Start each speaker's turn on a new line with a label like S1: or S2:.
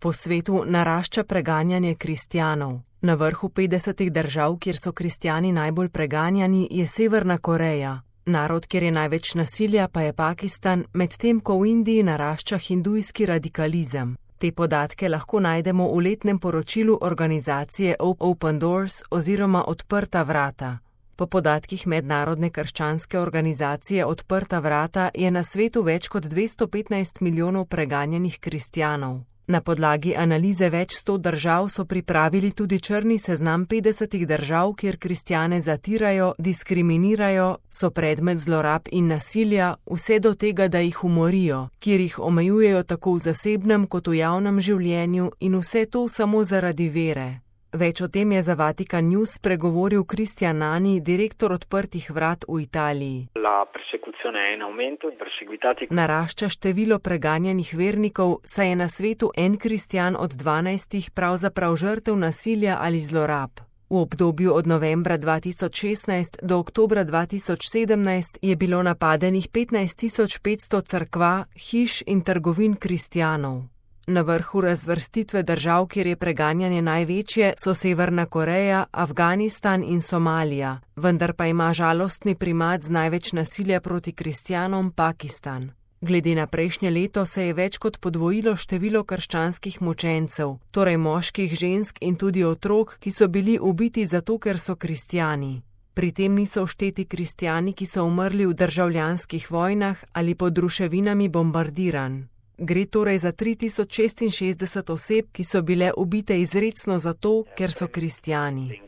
S1: Po svetu narašča preganjanje kristjanov. Na vrhu 50 držav, kjer so kristjani najbolj preganjani, je Severna Koreja. Narod, kjer je največ nasilja, pa je Pakistan, medtem ko v Indiji narašča hindujski radikalizem. Te podatke lahko najdemo v letnem poročilu organizacije Open Doors oziroma Odprta vrata. Po podatkih mednarodne krščanske organizacije Odprta vrata je na svetu več kot 215 milijonov preganjanih kristjanov. Na podlagi analize več 100 držav so pripravili tudi črni seznam 50 držav, kjer kristjane zatirajo, diskriminirajo, so predmet zlorab in nasilja, vse do tega, da jih umorijo, kjer jih omejujejo tako v zasebnem kot v javnem življenju in vse to samo zaradi vere. Več o tem je za Vatikan News spregovoril Cristian Nani, direktor Odprtih vrat v Italiji. Narašča število preganjanih vernikov, saj je na svetu en kristjan od 12 pravzaprav žrtev nasilja ali zlorab. V obdobju od novembra 2016 do oktobra 2017 je bilo napadenih 15.500 cerkva, hiš in trgovin kristjanov. Na vrhu razvrstitve držav, kjer je preganjanje največje, so Severna Koreja, Afganistan in Somalija, vendar pa ima žalostni primat z največ nasilja proti kristjanom Pakistan. Glede na prejšnje leto se je več kot podvojilo število krščanskih mučencev, torej moških, žensk in tudi otrok, ki so bili ubiti zato, ker so kristjani. Pri tem niso všteti kristjani, ki so umrli v državljanskih vojnah ali pod ruševinami bombardiranj. Gre torej za 3066 oseb, ki so bile ubite izrecno zato, ker so kristjani.